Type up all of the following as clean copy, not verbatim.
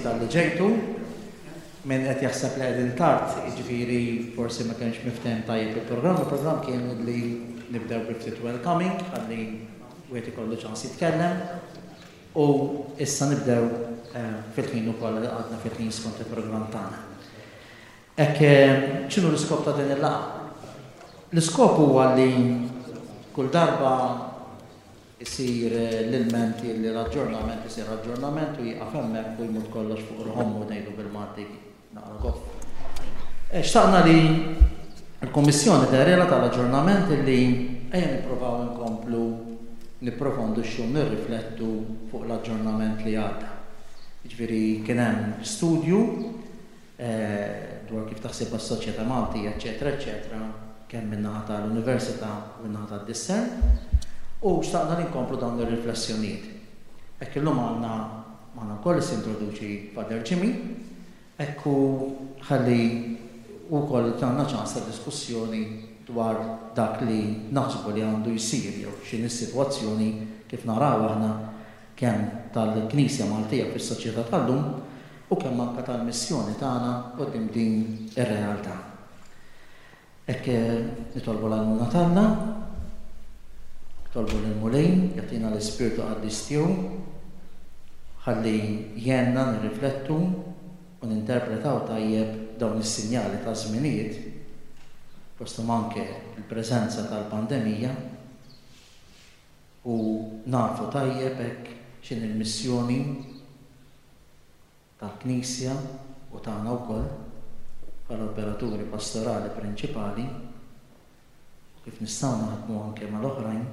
talli ġejtu. Min qed jaħseb li qegħdin tard, jiġifieri forsi ma kienx miftehim tajjeb il-programm. Il-programm kien li nibdew bi ftit welcoming ħalli wieħed ikollu ċans jitkellem u issa nibdew fil-ħin ukoll li għadna fil-ħin skont il-programm tagħna. Hekk x'inhu l-iskop ta' din il-laqgħa? L-iskop huwa li kull darba Isir l-ilment li l-aġġornament isir aġġornament u jieqaf hemmhekk u jmut kollox fuq ruħ ommu ngħidu bil-Malti naqra goff. Xtaqna li l-Kummissjoni dehrilha tal-aġġornament illi ejja nippruvaw inkomplu nipprofondixxu u nirriflettu fuq l-aġġornament li għadda. Jiġifieri kien hemm studju dwar kif taħsibha s-soċjetà Maltija eċċetera eċċetera kemm min-naħa ta' l-Università u min-naħa tad-Discern u xtaqna li nkomplu dawn ir-riflessjonijiet. Hekk illum għandna magħna wkoll issa jintroduċi Father Jimmy hekk u ħalli hu wkoll jagħna ċans ta' diskussjoni dwar dak li naħsbu li għandu jsir jew x'inhi s-sitwazzjoni kif narawha aħna kemm tal-Knisja Maltija fis-soċjetà tal-lum u kemm anke tal-missjoni tagħna quddiem din ir-realtà. Hekk nitolbu l-għajnuna t'Alla, nitolbu lill-Mulej jagħtina l-Ispirtu Qaddis tiegħu ħalli jgħinna nirriflettu u ninterpretaw tajjeb dawn is-sinjali taż-żminijiet, fosthom anke l-preżenza tal-pandemija, u nafu tajjeb hekk x'inhi l-missjoni tal-Knisja u tagħna wkoll bħala operaturi pastorali prinċipali u kif nistgħu naħdmu anke mal-oħrajn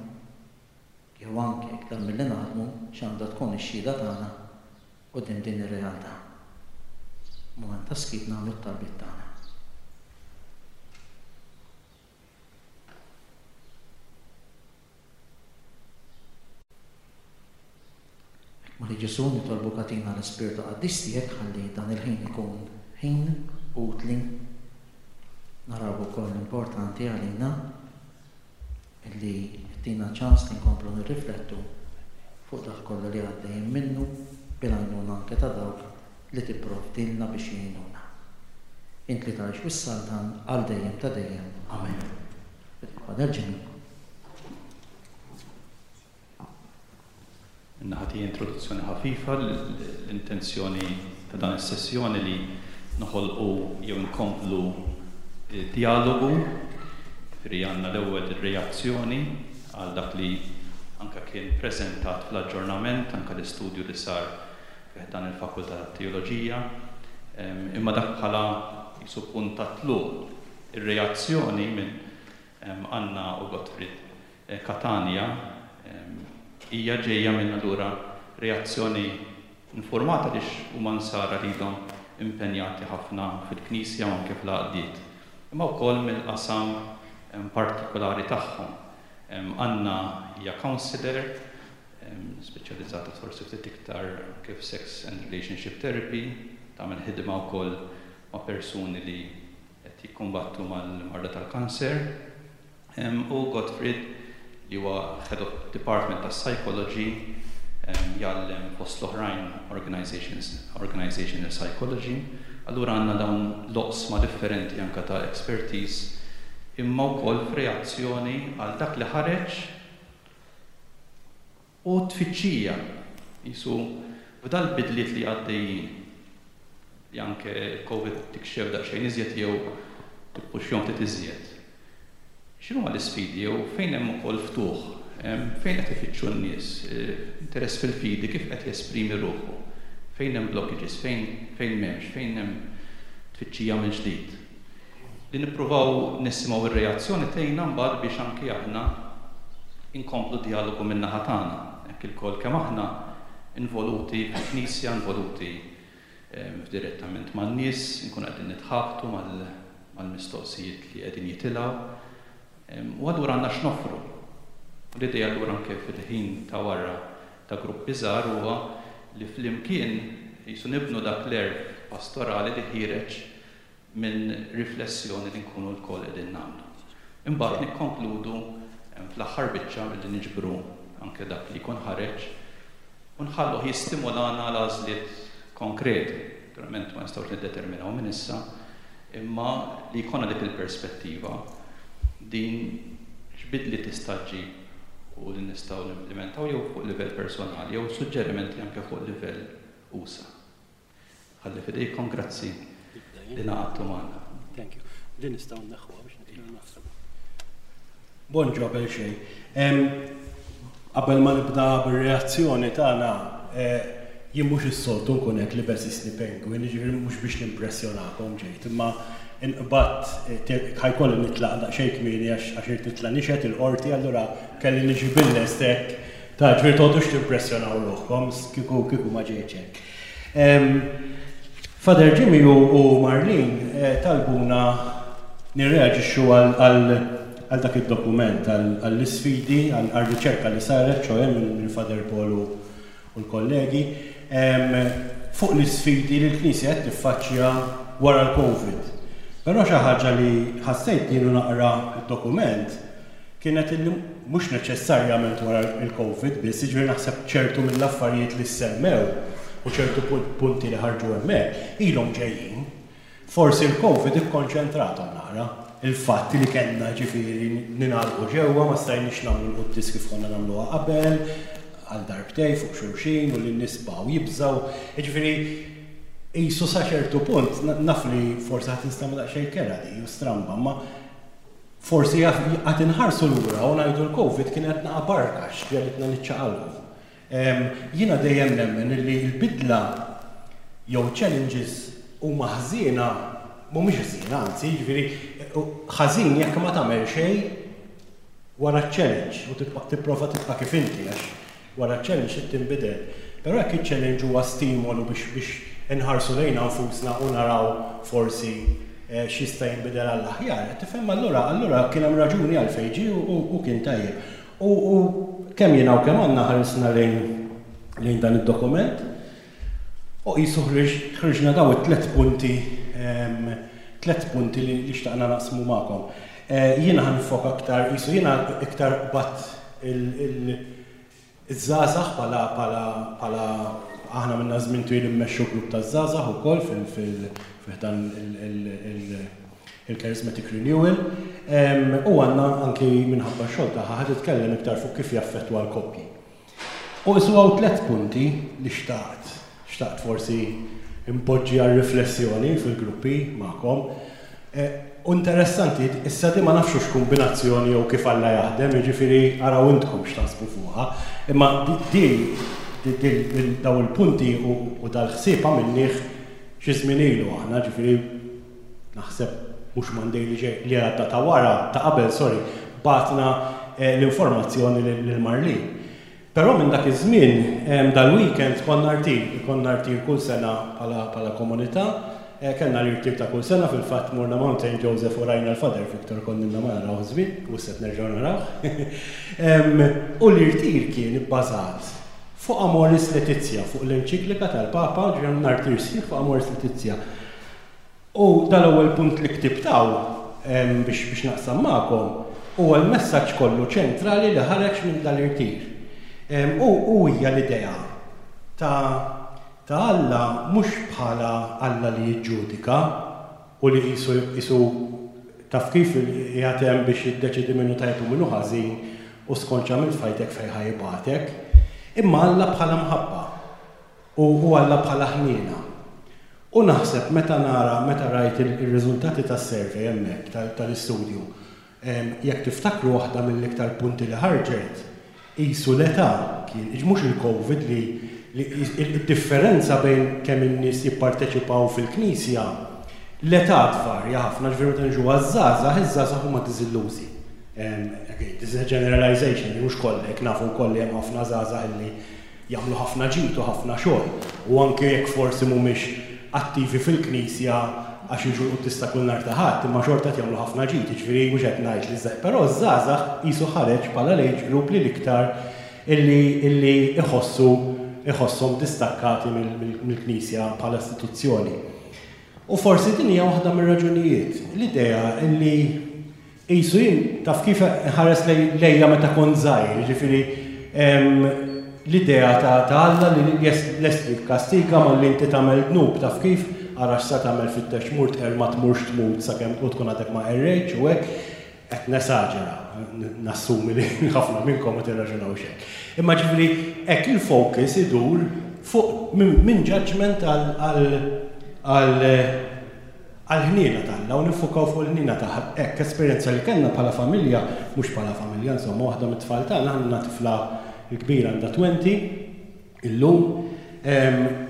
jew anke iktar milli naħdmu x'għandha tkun ix-xhieda tagħna quddiem din ir-realtà. Mument ta' skiet nagħmlu t-talbiet tagħna. Hekk Mulej Ġesù nitolbuk agħtina l-Ispirtu Qaddis tiegħek ħalli dan il-ħin ikun ħin utli naraw ukoll importanti għalina illi ttina ċans li nkomplu nirriflettu fuq dak kollu li għaddejjin minnu bil-għajnuna anke ta' dawk li tipprovdilna biex jgħinuna. Int li tgħix u ssaltan għal dejjem ta' dejjem. Amen. Father Jimmy. Min-naħa tiegħi introduzzjoni ħafifa, l-intenzjoni ta' dan is-sessjoni li noħolqu jew inkomplu djalogu, jiġifieri għandna l-ewwel ir-reazzjoni għal dak li anke kien preżentat fl-aġġornament, anke l-istudju li sar fi ħdan il-Fakultà tat-Teoloġija, imma dak bħala qisu punt ta' tluq. Ir-reazzjoni minn Anna u Gottfried Catania hija ġejja minn allura reazzjoni informata għaliex huma Nsara li ilhom impenjati ħafna fil-Knisja u anke fl-għaqdiet, imma wkoll mill-qasam partikulari tagħhom. Anna hija counsellor, speċjalizzata forsi ftit iktar anke f'sex and relationship therapy, tagħmel ħidma wkoll ma' persuni li qed jikkumbattu mal-marda tal-kanser. U Gottfried, li huwa Head of Department tas-Psychology, jgħallem fost l-oħrajn Organizational Psychology. Allura għandna dawn l-oqsma differenti anke ta' expertise, imma wkoll f'reazzjoni għal dak li ħareġ u t-tfittxija, qisu f'dal-bidliet li għaddejjin, li anke l-Covid tikxef daqsxejn iżjed jew tippuxjhom ftit iżjed. X'inhuma l-isfidi jew fejn hemm ukoll ftuħ? Fejn qed ifittxu n-nies? Interess fil-fidi kif qed jesprimi ruħu? Fejn hemm blockages? Fejn fejn m'hemmx? Fejn hemm tfittxija mill-ġdid? Li nippruvaw nisimgħu r-reazzjoni tgħinna mbagħad biex anki aħna nkomplu d-djalogu min-naħa tagħna. Hekk ilkoll kemm aħna involuti fil-Knisja, involuti f'direttament man-nies, inkunu qegħdin nitħabtu mal-mistoqsijiet li qegħdin jitilgħu. U allura għandna x'noffru. U l-idea allura anke fil-ħin ta' wara ta' gruppi żgħar huwa li flimkien qisu nibnu dak l-għerf pastorali li ħiereġ minn riflessjoni li nkunu lkoll qegħdin nagħmlu. Imbagħad nikkonkludu fl-aħħar biċċa billi niġbru anke dak li jkun ħareġ u nħalluh jistimolana għal għażliet konkreti. konkreti. Naturalment ma nistgħux niddeterminaw minn issa, imma li jkollna dik il-perspettiva din x'bidliet tista' ġġib u li nistgħu nimplementaw jew fuq livell personali jew suġġerimenti anke fuq livell usa'. Nħalli f'idejkom, grazzi li ngħaqadtu magħna. Thank you. Din nistgħu nneħħuha biex nibdew naħsbu. Bonġu qabel xejn. Qabel ma nibda bir-reazzjoni tagħna, jien mhux is-soltu nkun hekk libes isni penguin, jiġifieri mhux biex nimpressjonakom ġejt, imma inqbadt ħajkolli nitlaq daqsxejn kmieni għax irid nitla' nixhed il-qorti, allura kelli niġi bil-lest hekk. Ta' ġifieri toqgħodux timpressjonaw ruħkom kieku kieku ma ġejtx hekk. Father Jimmy u Marlene talbuna nirreaġixxu għal dak id-dokument, għall-isfidi, għar-riċerka li saret, ċoe minn Father Paul u l-kollegi, fuq l-isfidi li l-Knisja qed tiffaċċja wara l-Covid. Però xi ħaġa li ħassejt jien u naqra d-dokument kienet illi mhux neċessarjament wara l-Covid biss, jiġifieri naħseb ċertu mill-affarijiet li ssemmew u ċertu punti li ħarġu hemmhekk ilhom ġejjin. Forsi l-Covid ikkonċentrathom naqra. Il-fatt li kellna jiġifieri ningħalqu ġewwa, ma stajniex nagħmlu l-quddies kif konna nagħmluha qabel, għal darbtejn fuq xulxin u li n-nies baqgħu jibżgħu. Jiġifieri qisu sa ċertu punt, naf li forsi ħa tinstema' daqsxejn kerha di u stramba, imma Forsi għad inħarsu lura u ngħidu l-Covid kienet naqa' barka x'ġegħlitna niċċaqalqu. Jiena dejjem nemmen illi l-bidla jew challenges huma ħżiena, mhumiex ħżiena anzi, jiġifieri ħażin jekk ma tagħmel xejn wara ċ-challenge u tipprova tibqa' kif inti għax Wara ċ-challenge trid tinbidel. Però jekk iċ-challenge huwa stimolu biex biex inħarsu lejna nfusna u naraw forsi x'jista' jinbidel għall-aħjar, qed tifhem? Allura allura kien hemm raġuni għalfejn ġie u u kien tajjeb. U u kemm jiena u kemm Anna ħarisna lejn lejn dan id-dokument u qisu ħriġ ħriġna dawn it-tliet punti tliet punti li li xtaqna naqsmu magħkom. Jiena ħa niffoka aktar qisu jiena iktar qbadt Il-żgħażagħ bħala bħala bħala aħna minna żmien twil immexxu grupp ta' żgħażagħ ukoll fil fil fi ħdan il-Charismatic Renewal. U għandna anki minħabba x-xogħol tagħha ħa titkellem iktar fuq kif jaffettwa l-koppji. U qisu hawn tlett punti li xtaqt xtaqt forsi npoġġi għar-riflessjoni fil-gruppi magħkom. U interessanti, issa di ma nafx hux kumbinazzjoni jew kif Alla jaħdem, jiġifieri araw intkom x'taħsbu fuqha, imma di dawn il-punti u dal-ħsieb għamilnieh xi żmien ilu aħna, ġifieri naħseb mhux Monday li ġej, li għadda ta' wara, ta' qabel, sorry, bagħatna l-informazzjoni lil Marlene. Però minn dak iż-żmien, dal-weekend konna rtir, ikollna rtir kull sena bħala bħala komunità. Kellna l-irtir ta' kull sena, fil-fatt morna Mount Saint Joseph u rajna l-Father Victor konna ilna ma narawh żmien, u issa qed nerġgħu narawh. U l-irtir kien ibbażat fuq Amoris Laetitia, fuq l-enċiklika tal-Papa, ġifieri għamilna rtir sħiħ fuq Amoris Laetitia. U dal-ewwel punt li ktibt hawn biex biex naqsam magħkom huwa l-messaġġ kollu ċentrali li ħareġ minn dal-irtir. U u hija l-idea ta' ta' Alla mhux bħala Alla li jiġġudika u li qisu qisu taf kif qiegħed hemm biex jiddeċiedi min hu tajjeb u min hu ħażin u skont x'għamilt f'ħajtek fejn ħa jibgħatek, imma Alla bħala mħabba. U u Alla bħala ħniena. U naħseb meta nara, meta rajt ir-riżultati tas-survey hemmhekk, tal-istudju, jekk tiftakru waħda mill-iktar punti li ħarġet, qisu l-età kien, mhux il-Covid li li id-differenza bejn kemm in-nies jipparteċipaw fil-Knisja, l-età tvarja ħafna, ġifieri meta niġu għaż-żgħażagħ, iż-żgħażagħ huma diżillużi. Again, this is a generalization, mhux kollha hekk, nafu wkoll li hemm ħafna żgħażagħ illi jagħmlu ħafna ġid u ħafna xogħol u anke jekk forsi mhumiex attivi fil-Knisja għax jiġu l-quddies ta' kull nhar ta' Ħadd, imma xorta qed jagħmlu ħafna ġid, jiġifieri mhux qed ngħid li ż però ż-żgħażagħ qisu ħareġ bħala l-age group li l-iktar illi illi iħossu iħosshom distakkati mill-Knisja bħala istituzzjoni. U forsi din hija waħda mir-raġunijiet, l-idea illi Qisu jien, taf kif, inħares lejja meta kont żgħir, jiġifieri L-idea ta' ta' Alla li lest li jikkastiga malli inti tagħmel dnub taf kif, ara x'sa tagħmel fittex tmur tqerr ma tmurx tmut sakemm u tkun għadek ma qerrejtx u hekk. Qed nesaġera, nassumi li ħafna minnkom ma tirraġunawx hekk. Imma ġifieri hekk il-focus idur fuq minn judgement għal għal għall-ħniena t'Alla u niffukaw fuq il-ħniena ta' hekk esperjenza li kellna bħala familja, mhux bħala familja insomma, waħda mit-tfal tagħna, aħna għandna tifla l-kbira għandha 20 illum,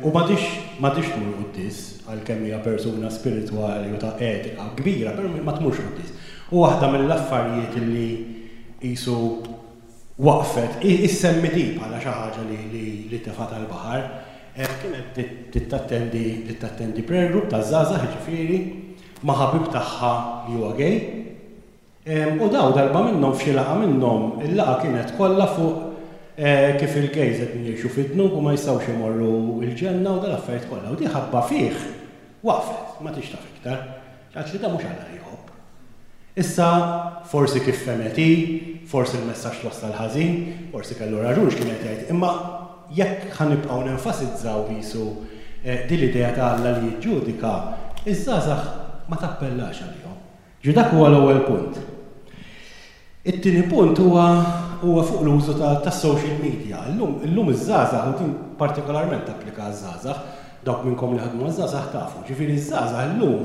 u m'għadhiex m'għadhiex tmur quddies għalkemm hija persuna spiritwali u ta' etika kbira, però ma tmurx quddies. U waħda mill-affarijiet li qisu waqfet, issemmi di bħala xi ħaġa li li tefgħet għall-baħar, Kienet bdiet tattendi bdiet tattendi prayer group taż-żgħażagħ jiġifieri, ma' ħabib tagħha li huwa gay. U daw darba minnhom f'xi laqgħa minnhom, il-laqgħa kienet kollha fuq kif il-gays qegħdin jgħixu fid-dnub u ma jistgħux imorru l-ġenna u dal-affarijiet kollha. U di ħabba fih waqfet, ma tridx taf iktar. Qaltli da mhux Alla li jħobb. Issa, forsi kif fehmet hi, forsi l-messaġġ twassal ħażin, forsi kellu raġun x'kien qed jgħid, imma jekk ħa nibqgħu nenfasizzaw qisu din l-idea ta' Alla li jiġġudika, iż-żgħażagħ ma tappellax għalihom. Ġifieri dak huwa l-ewwel punt. It-tieni punt huwa huwa fuq l-użu ta' tas-social media. Illum illum iż-żgħażagħ, u din partikolarment tapplika għaż-żgħażagħ, dawk minnkom li ħadmu maż-żgħażagħ tafu, ġifieri ż-żgħażagħ illum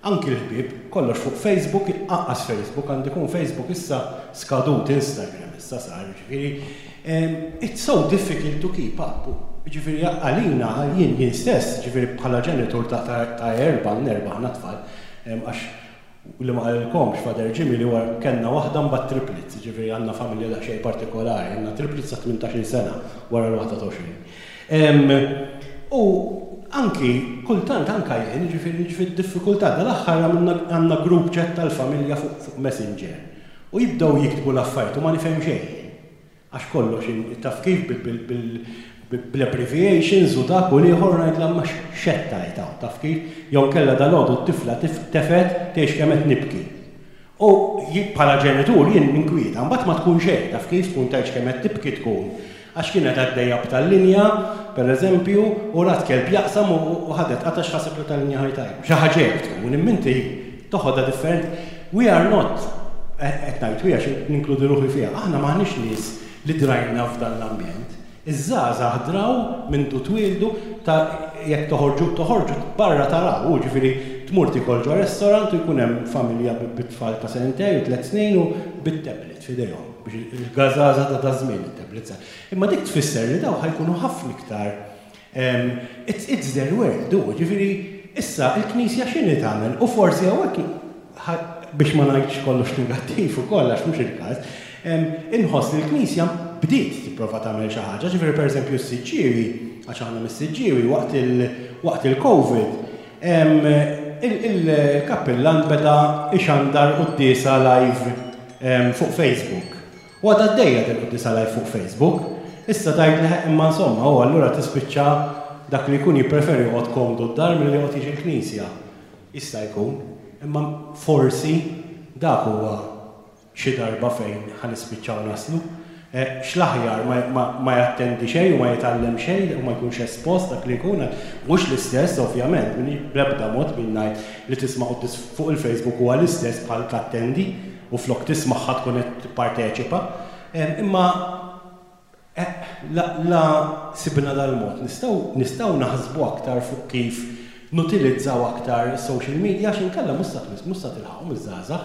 anki l-ħbieb, kollox fuq Facebook, anqas Facebook, għandi jkun Facebook issa skadut, Instagram issa sar, jiġifieri it's so difficult to keep up. Jiġifieri għalina, jien jien stess, jiġifieri bħala ġenitur ta' ta' erba', għandna erba' aħna tfal, għax Li ma qalilkomx Father Jimmy li huwa kellna waħda mbagħad triplets, jiġifieri għandna familja daqsxejn partikolari, għandna triplets ta' 18-il sena wara l-waħda ta' 20. U anki kultant anka jien, jiġifieri niġi fid-diffikultà, dal-aħħar għamilna għandna group chat tal-familja fuq Messenger u jibdew jiktbu l-affarijiet u ma nifhem xejn jien. Għax kollox taf kif bl-abbreviations u dak u l-ieħor u ngħidlha imma x'qed tgħid hawn, taf kif? Jew inkella dalgħodu t-tifla tefgħet tgħix kemm qed nibki. U bħala ġenitur jien ninkwieta, mbagħad ma tkun xejn, taf kif? Tkun tgħidx kemm qed tibki tkun. Għax kienet għaddejja b'tal-linja, pereżempju, u rat kelb jaqsam u ħadet qatgħa x'ħaseb li tal-linja ħa jtajbu. Xi ħaġa hekk tkun, imma inti toħodha differenti. We are not, qed ngħid we għax ninkludi ruħi fiha, aħna m'aħniex nies li drajna f'dan l-ambjent. Iż-żgħażagħ draw mindu twieldu ta' jekk toħorġu toħorġu barra taraw, hu ġifieri tmur tiekol ġo restaurant u jkun hemm familja bit-tfal ta' sentejn u tlett snin u bit-tablet f'idejhom biex il-gażaża ta' daż-żmien it-tablets. Imma dik tfisser li dawn ħa jkunu ħafna iktar It's, it's their world, hu, ġifieri, issa il-Knisja x'inhi tagħmel? U forsi hawnhekk, biex ma ngħidx kollox negattiv ukoll għax mhux il-każ, inħoss li l-Knisja bdiet tipprova tagħmel xi ħaġa, ġifieri pereżempju s-Siġġiewi, għax aħna mis-Siġġiewi, waqt il, waqt il-Covid, il-kappillan beda jxandar quddiesa live fuq Facebook. U għadha għaddejja din il-quddiesa live fuq Facebook. Issa tgħidli ħeqq imma insomma u allura tispiċċa dak li jkun jippreferi joqgħod komdu d-dar milli joqgħod jiġi l-knisja. Jista' jkun. Imma forsi dak huwa xi darba fejn ħa nispiċċaw naslu. X'l-aħjar ma ma jattendi xejn u ma jitgħallem xejn u ma jkunx espost dak li jkun. Mhux l-istess ovvjament, bl-ebda mod min ngħid li tisma' quddies fuq il-Facebook huwa l-istess bħal tattendi. U flok tismagħha tkun qed tipparteċipa. Imma la la sibna dal-mod nistgħu nistgħu naħsbu aktar fuq kif nutilizzaw aktar is-social media għax inkella mhux sa tmiss mhux sa tilħaqhom iż-żgħażagħ.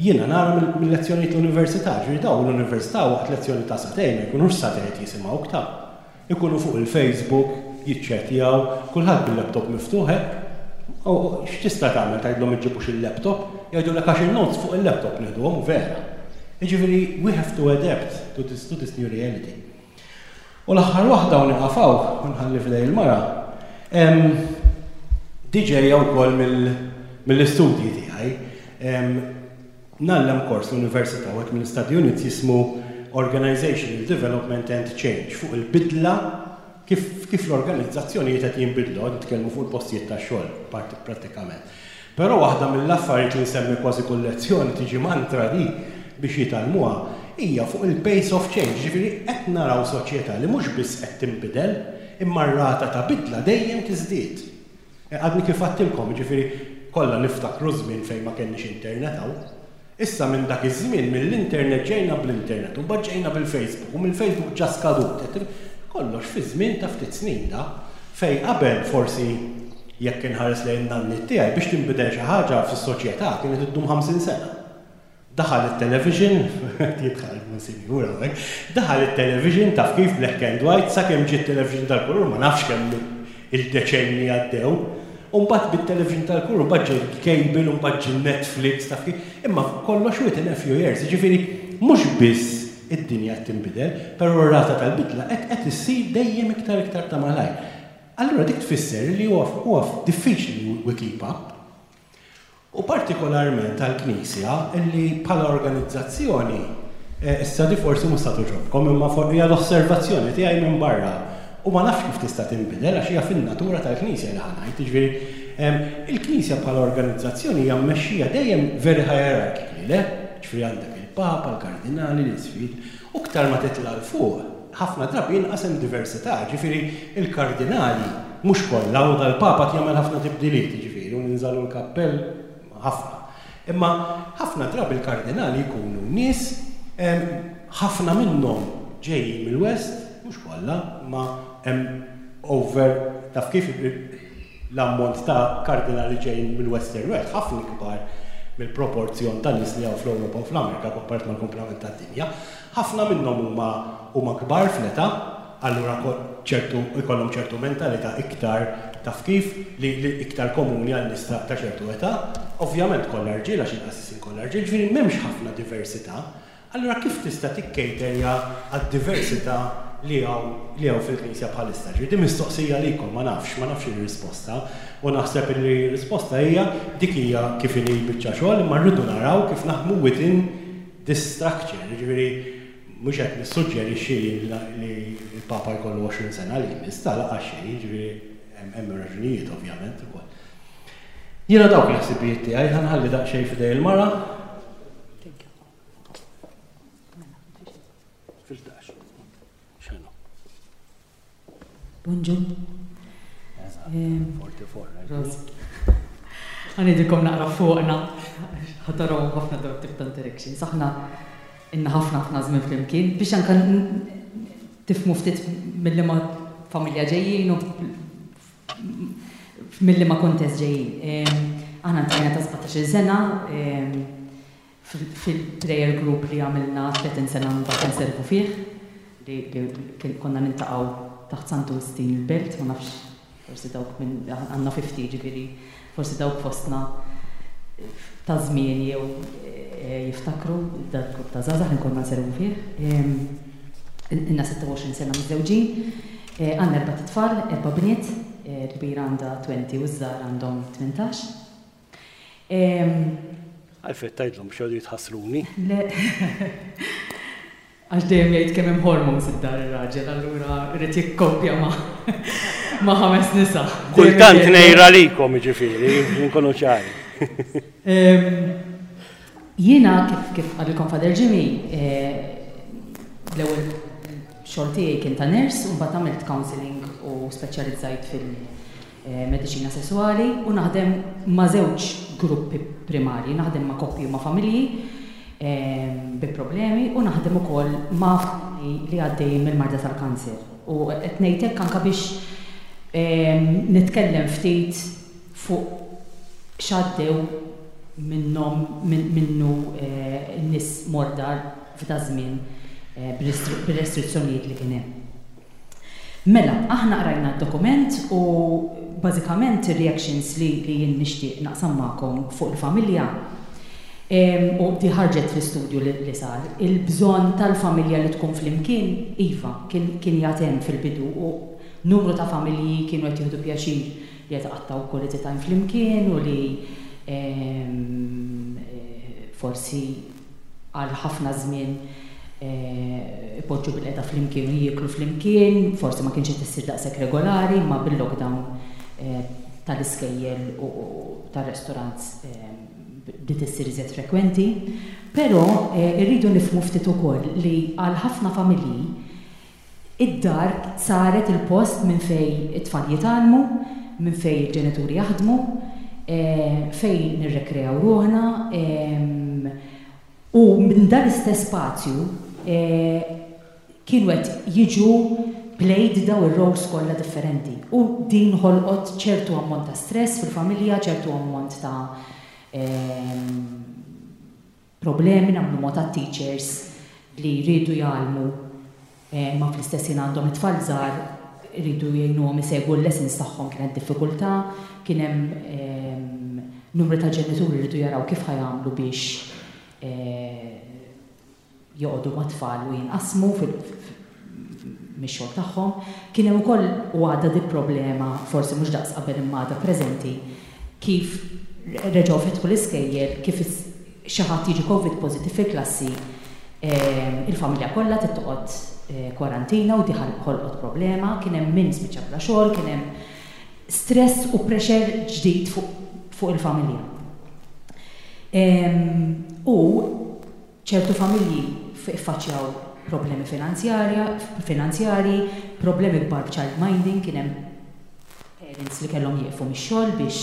Jiena nara mil-lezzjonijiet l-università, ġifieri dawn l-università waqt lezzjoni ta' sagħtejn ma jkunux sagħtejn qed jisimgħuk ta'. Ikunu fuq il-Facebook, jiċċettjaw, kulħadd bil-laptop miftuħ hekk. U x'tista' tagħmel tgħidlhom iġġibux il-laptop? Jgħidulek għax in-notes fuq il-laptop nieħduhom u vera. Jiġifieri we have to adapt to this to this new reality. U l-aħħar waħda u nieqaf hawn u nħalli f'idej il-mara, di ġejja wkoll mill-istudji tiegħi. Ngħallem kors l-università wieħed mill-study units jismu Organizational Development and Change fuq il-bidla kif kif l-organizzazzjonijiet qed jinbidlu, qed nitkellmu fuq il-postijiet tax-xogħol prattikament. Però waħda mill-affarijiet li nsemmi kważi kull lezzjoni tiġi mantra di biex jitgħallmuha hija fuq il-pace of change, jiġifieri qed naraw soċjetà li mhux biss qed tinbidel, imma r-rata ta' bidla dejjem tiżdied. Għadni kif għadtilkom, jiġifieri kollha niftakru żmien fejn ma kellniex internet hawn. Issa minn dak iż-żmien mill-internet ġejna bl-internet u mbagħad ġejna bil-Facebook u mill-Facebook ġa skadut. Kollox fi żmien ta' ftit snin da. Fejn qabel forsi jekk inħares lejn in-nanniet tiegħi biex tinbidel xi ħaġa fis-soċjetà kienet iddum 50 sena. Daħal it-television, qed jidħal il-Monsinjur hawnhekk, daħal it-television taf kif black and white sakemm ġie t-television tal-kulur ma nafx kemm il-deċenji għaddew. U mbagħad bit-television tal-kulur mbagħad ġie l-cable u mbagħad ġie Netflix taf kif. Imma kollox within a few years, jiġifieri mhux biss id-dinja qed tinbidel, però r-rata tal-bidla qed qed issir dejjem iktar iktar ta' malajr. Allura dik tfisser li huwa huwa diffiċli we keep up. U partikolarment għall-Knisja li bħala organizzazzjoni, issa di forsi mhux sa togħġobkom imma hija l-osservazzjoni tiegħi minn barra u ma nafx kif tista' tinbidel għax hija fin-natura tal-Knisja li ħa ngħid, jiġifieri il-Knisja bħala organizzazzjoni hija mmexxija dejjem very hierarchically, le? Jiġifieri għandek il-Papa, il-Kardinali, l-Isqfijiet, u iktar ma titla' 'l fuq, ħafna drabi inqas hemm diversità, jiġifieri l-kardinali mhux kollha u dal-Papa qed jagħmel ħafna tibdiliet, jiġifieri u ninżalu l-kappell ħafna. Imma ħafna drabi l-kardinali jkunu nies ħafna minnhom ġejjin mill-West, mhux kollha, imma hemm over taf kif l-ammont ta' kardinali ġejjin mill-Western World ħafna ikbar mill-proporzjon ta' nies li hawn fl-Ewropa u fl-Amerika komparat mal-kumplament tad-dinja. Ħafna minnhom huma huma kbar fl-età, allura ċertu jkollhom ċertu mentalità iktar taf kif li li iktar komuni għal nies ta' ta' ċertu età. Ovvjament kollha rġiel għax il-qassisin kollha rġiel, ġifieri m'hemmx ħafna diversità. Allura kif tista' tikkejterja għad-diversità li hawn li hawn fil-Knisja bħalissa? Ġifieri din mistoqsija għalikom, ma nafx, ma nafx ir-risposta. U naħseb li r-risposta hija dik hija kif inhi l-biċċa xogħol imma rridu naraw kif naħdmu within this structure, jiġifieri mhux qed nissuġġerixxi li l-Papa jkollu 20 sena li jmiss, ta' lanqas xejn, jiġifieri hemm raġunijiet ovvjament ukoll. Jiena dawk il-ħsibijiet tiegħi ħa nħalli daqsxejn f'idej il-mara. Fil-dax. X'inhu? Bonġu. Għanidilkom naqra fuqna, ħataraw ħafna dawn tip ta' interactions. Aħna inna ħafna ħafna żmien flimkien biex anka tifmu ftit mill ma familja ġejjin u mill ma kontest ġejjin. Aħna ntajna ta' 17 sena, fil-prayer group li għamilna 30 sena mbagħad inservu fih, li konna niltaqgħu taħt Santu Wistin il-Belt, ma nafx forsi dawk minn għandna 50 ġifieri forsi dawk fostna ta' żmien jew jiftakru dal-grupp ta' żgħażagħ li konna nservu fih. Ilna 26 sena miżżewġin, għandna erbat itfal, erba' bniet, il-kbira għandha 20 u ż-żgħar għandhom 18. Għalfejn tgħidlhom biex jgħodu jitħassruni? Le. Għax dejjem jgħid kemm hemm hormones id-dar ir-raġel, allura jrid jikkoppja ma' ma' ħames nisa. Kultant ngħir għalikom jiġifieri, inkunu ċari. Jiena kif kif qalilkom Father Jimmy, l-ewwel xogħol tiegħi kien ta' nurse u mbagħad għamilt counselling u speċjalizzajt fil- mediċina sesswali u naħdem ma' żewġ gruppi primarji, naħdem ma' koppji u ma' familji bi problemi u naħdem ukoll ma' familji li għaddejjin mill-marda tal-kanser. U qed ngħid hekk anke biex nitkellem ftit fuq x'għaddew minnhom minnu n-nies morda f'daż-żmien bir-restrizzjonijiet li kien hemm. Mela, aħna qrajna d-dokument u bażikament ir-reactions li li jien nixtieq naqsam magħkom fuq il-familja, u di ħarġet fl-istudju li li sar, il-bżonn tal-familja li tkun flimkien, iva, kien kien jgħad hemm fil-bidu u numru ta' familji kienu qed jieħdu pjaċir li qed iqattgħu quality time flimkien u li forsi għal ħafna żmien ipoġġu bilqiegħda flimkien u jieklu flimkien, forsi ma kienx qed issir daqshekk regolari, imma bil-lockdown tal-iskejjel u tar-restaurants bdiet issir iżjed frekwenti, però rridu nifhmu ftit ukoll li għal ħafna familji id-dar saret il-post minn fejn it-tfal jitgħallmu, minn fejn il-ġenituri jaħdmu, fejn nirrekreaw ruħna, u minn dan l-istess spazju kienu qed jiġu played daw ir-roles kollha differenti u din ħolqot ċertu ammont ta' stress fil-familja, ċertu ammont ta' problemi. Nagħmlu mod għat-teachers li jridu jgħallmu ma fl-istess ħin għandhom it-tfal żgħar iridu jgħinuhom isegwu l-lessons tagħhom, kienet diffikultà, kien hemm numru ta' ġenituri jridu jaraw kif ħa jagħmlu biex joqogħdu mat-tfal u jinqasmu mix-xogħol tagħhom. Kien hemm ukoll u għadha di problema, forsi mhux daqs qabel imma għadha preżenti, kif reġgħu fetħu l-iskejjel, kif xi ħadd jiġi Covid positive fil-klassi, il-familja kollha trid toqgħod kwarantina u di ħolqot problema, kien hemm min spiċċa bla xogħol, kien hemm stress u pressure ġdid fuq il-familja. U ċertu familji ffaċċjaw problemi finanzjarji, problemi kbar b'child minding, kien hemm parents li kellhom jieqfu mix-xogħol biex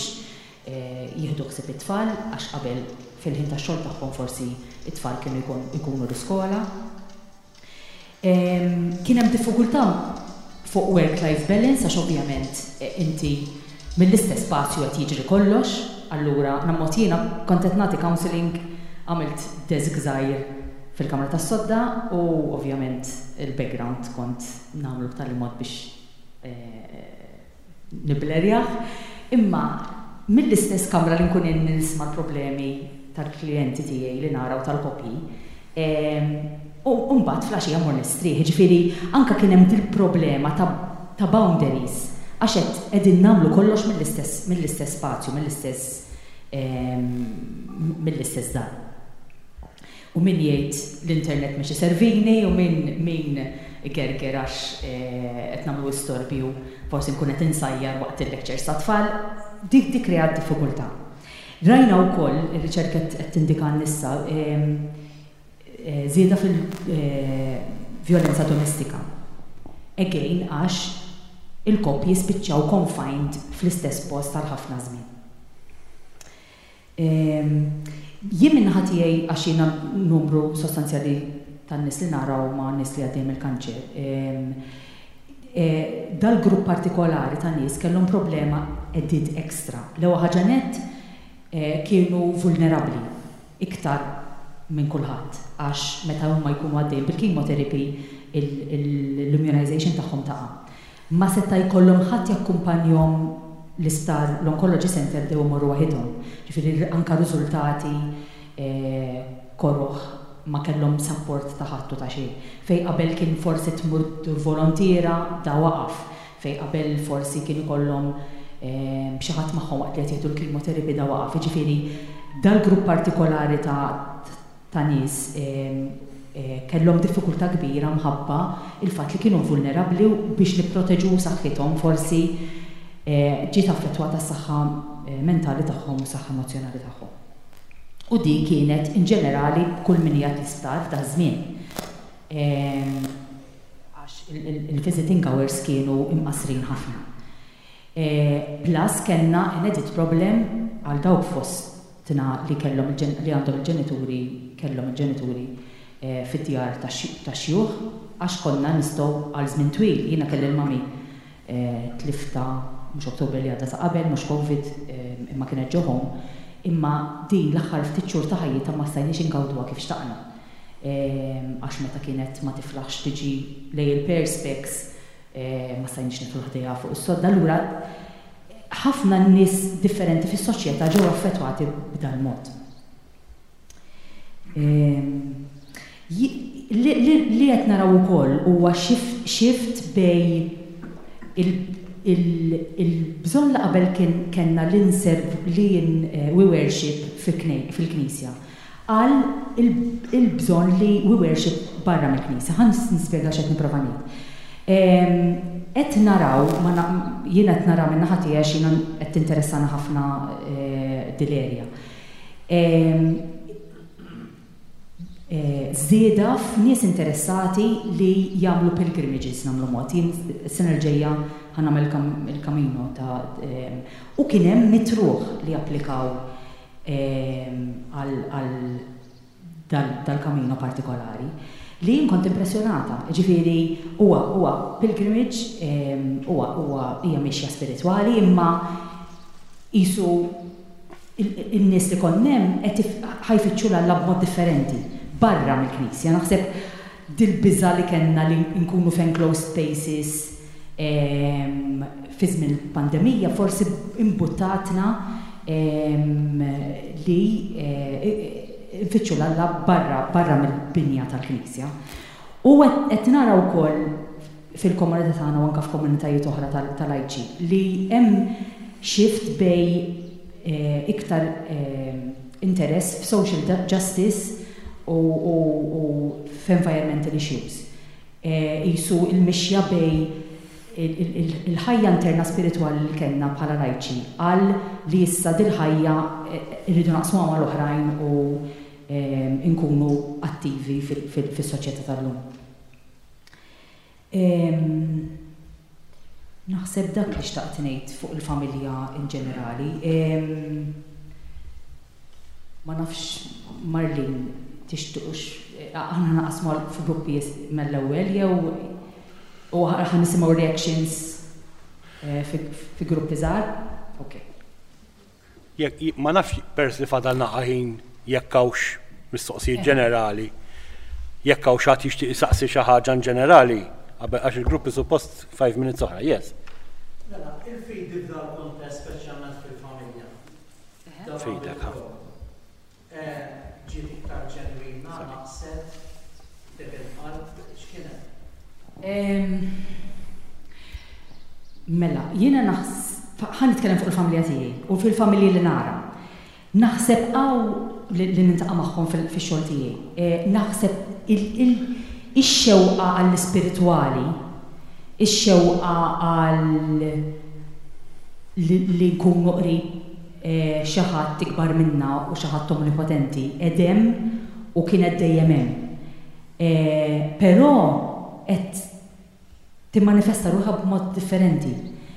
jieħdu ħsieb it-tfal għax qabel fil-ħin tax-xogħol tagħhom forsi it-tfal kienu jkunu l-iskola. Kien hemm diffikultà fuq work-life balance għax ovvjament inti mill-istess spazju qed jiġri kollox, allura nammot jiena kont qed nagħti counselling, għamilt desk żgħir fil-kamra tas-sodda u ovvjament il-background kont nagħmlu b'tali mod biex niblerjah, imma mill-istess kamra li nkun nisma' l-problemi tal-klijenti tiegħi li nara u tal-koppji, u mbagħad filgħaxija mmur nistrieħ, jiġifieri anke kien hemm dil-problema ta' boundaries għax qed qegħdin nagħmlu kollox mill-istess spazju, mill-istess dar. U min jgħid l-internet mhux iservini u min igerger għax qed nagħmlu istorbju, forsi nkun qed insajjar waqt il-lectures tat-tfal, dik kreat diffikultà. Rajna wkoll, ir-riċerka qed tindika issa, żieda fil-vjolenza domestika. Again, għax il-koppji spiċċaw confined fl-istess post għal ħafna żmien. Jien min-naħa tiegħi, għax jiena numru sostanzjali tan-nies li naraw ma' nies li għaddejjem il-kanċer. Dal-grupp partikolari ta' nies kellhom problema added extra. L-ewwel ħaġa net kienu vulnerabbli iktar minn kulħadd għax meta huma jkunu għaddejjin bil-chemotherapy l-immunization tagħhom taqa'. Ma seta' jkollhom ħadd jakkumpanjhom l-isptar, l-oncology center, bdew imorru waħidhom. Ġifieri anka riżultati koroh, ma kellhom support ta' ħadd u ta' xejn. Fej qabel kien forsi tmur volontiera, da waqaf. Fej qabel forsi kien ikollhom xi ħadd magħhom waqt li qed jieħdu l-chemotherapy, da waqaf. Ġifieri dal-grupp partikolari ta' nies kellhom diffikultà kbira mħabba il-fatt li kienu vulnerabbli u biex nipproteġu saħħithom forsi ġiet affettwata s-saħħa mentali tagħhom u s-saħħa emozjonali tagħhom. U din kienet in ġenerali kull min qiegħed l-isptar f'dak żmien. Għax il-visiting hours kienu imqasrin ħafna. Plus kellna an added problem għal dawk fostna li kellhom li għandhom il-ġenituri, kellhom il-ġenituri fid-djar ta' xjuħ, għax konna nistgħu għal żmien twil. Jiena kelli l-mami, tliftha mhux Ottobru li għadda ta' qabel, mhux Covid, imma kienet ġo home, imma din l-aħħar ftit xhur ta' ħajjitha ma stajniex ingawduha kif xtaqna. Għax meta kienet ma tiflaħx tiġi lejn il-perspex, ma stajniex nidħlu ħdejha fuq is-sodda. Allura ħafna nies differenti fis-soċjetà ġew affettwati b'dan mod. Li qed naraw ukoll huwa shift bejn il-bżonn li qabel kien kellna li nserv li we worship fil-Knisja għal il-bżonn li we worship barra mill-Knisja. Ħa nispjega x'qed nipprova ngħid. Qed naraw, jiena qed nara min-naħa tiegħi għax jiena qed tinteressana ħafna dil-area. Żieda f'nies interessati li jagħmlu pilgrimages nagħmlu mod. Jien is-sena l-ġejja ħa nagħmel il-Camino ta' u kien hemm mitruħ li applikaw għal dal-Camino partikolari li jien kont impressjonata. Ġifieri huwa huwa pilgrimage huwa huwa hija mixja spiritwali imma qisu in-nies li konna hemm qed ħa jfittxu 'l Alla b'mod differenti, barra mill-Knisja. Naħseb dil-biża' li kellna li nkunu f'enclosed spaces fi żmien il-pandemija forsi imbuttatna li nfittxu 'l Alla barra barra mill-binja tal-Knisja. U qed nara wkoll fil-komunità tagħna u anke f'komunitajiet oħra ta' lajċi li hemm shift bejn iktar interess f'social justice u f'environmental issues. Qisu l-mixja bejn il-ħajja interna spiritwali li kellna bħala lajċi għal li issa dil-ħajja rridu naqsmuha mal-oħrajn u nkunu attivi fis-soċjetà tal-lum. Naħseb dak li xtaqt ngħid fuq il-familja in ġenerali. Ma nafx Marlene tixtiqux aħna naqsmu f'gruppi mill-ewwel jew u ħa nisimgħu reactions fi gruppi żgħar? Okay. Jekk, ma nafx peress li fadal naqa' ħin jekk hawnx mistoqsijiet ġenerali, jekk hawn xi ħadd jixtieq isaqsi xi ħaġa in ġenerali, qabel għax il-gruppi suppost 5 minutes oħra. Yes. Mela, il-fidi f'dal-kuntest speċjalment fil-familja. Fidek, ha. Ġiet iktar ġenwina, naqset, dik il-qalb, x'kien hemm? Mela, jiena naħs, ħa nitkellem fuq il-familja tiegħi u fil-familji li nara. Naħseb hawn li niltaqa' magħhom fix-xogħol tiegħi, naħseb ix-xewqa għall-ispiritwali, ix-xewqa għal li nkunu qrib xi ħadd ikbar minna u xi ħadd omnipotenti qed hemm u kienet dejjem hemm. Però qed timmanifesta ruħha b'mod differenti.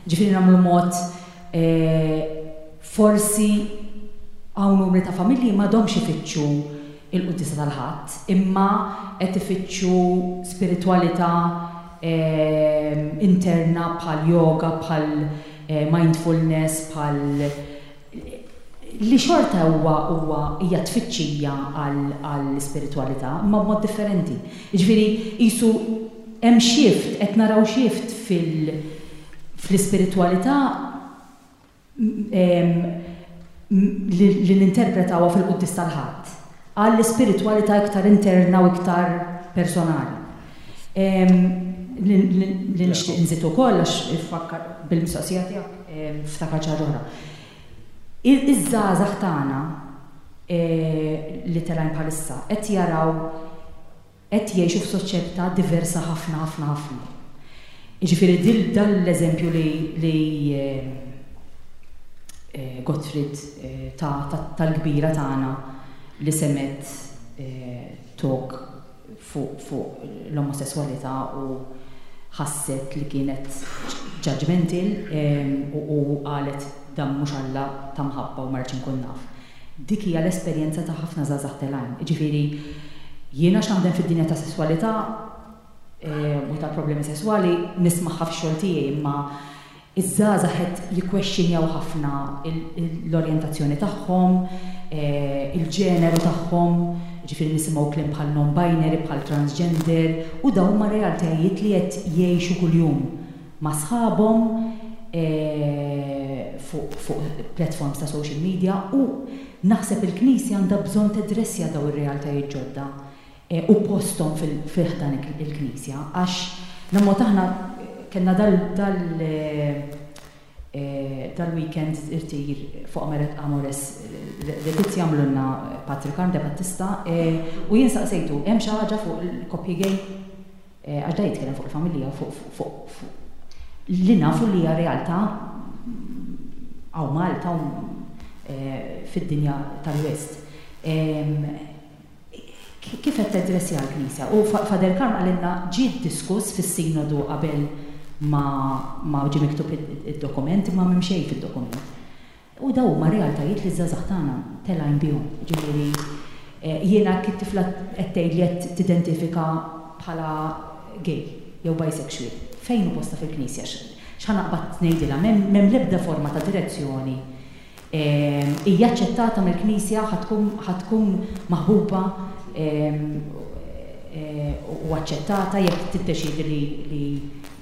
Ġifieri nagħmlu mod forsi hawn numri ta' familji m'għadhomx ifittxu il-quddiesa tal-Ħadd, imma qed ifittxu spiritwalità interna bħal yoga, bħal mindfulness, bħal li xorta huwa huwa hija tfittxija għall-ispiritwalità, imma b'mod differenti. Jiġifieri qisu hemm shift, qed naraw shift fil fl-ispiritwalità li ninterpretawha fil-quddies tal-Ħadd, għall-ispiritwalità iktar interna u iktar personali. Li nixtieq inżid ukoll għax fakkar bil-mistoqsija tiegħek ftakart xi ħaġa oħra. Iż-żgħażagħ tagħna li telgħin bħalissa qed jaraw qed jgħixu f'soċjetà diversa ħafna ħafna ħafna. Jiġifieri dil dan l-eżempju li li Gottfried ta tal-kbira tagħna li semgħet talk fuq fuq l-omosesswalità u ħasset li kienet judgmental u u qalet dan mhux Alla ta' mħabba u ma rridx inkun naf. Dik hija l-esperjenza ta' ħafna żgħażagħ telgħin. Jiġifieri, jien għax naħdem fid-dinja tas-sesswalità u tal-problemi sesswali nismagħha fix-xogħol tiegħi imma ż-żgħażagħ qed jikkwexxinjaw ħafna l-orjentazzjoni tagħhom, il-ġeneru tagħhom, jiġifieri nisimgħu kliem bħal non-binary, bħal transgender u dawn huma realtajiet li qed jgħixu kuljum. ma' sħabhom fuq fuq platforms ta' social media u naħseb il-Knisja għandha bżonn tedressja dawn ir-realtajiet ġodda u posthom fi ħdan il-Knisja għax l-ammont aħna kellna dal dal dal-weekend irtir fuq Amores Laetitia għamlulna Patri Karm de Battista u jien saqsejtu hemm xi ħaġa fuq il-koppji gay? Għax da jitkellem fuq il-familja, fuq li nafu li hija realtà hawn Malta u fid-dinja tal-West. Kif qed tadressja l-Knisja? U Father Karm qalilna ġie diskuss fis-Sinodu qabel ma ma ġie miktub id-dokument imma m'hemm xejn fid-dokument. U dawn huma realtajiet li ż-żgħażagħ tagħna telgħin bihom. Jiġifieri jiena jekk it-tifla qed tgħidli qed tidentifika bħala gay jew bisexual, fejn hu postha fil-Knisja? X'ħa naqbad ngħidilha? M'hemm l-ebda forma ta' direzzjoni Hija aċċettata mill-Knisja, ħa tkun ħa tkun maħbuba u aċċettata jekk tiddeċiedi li li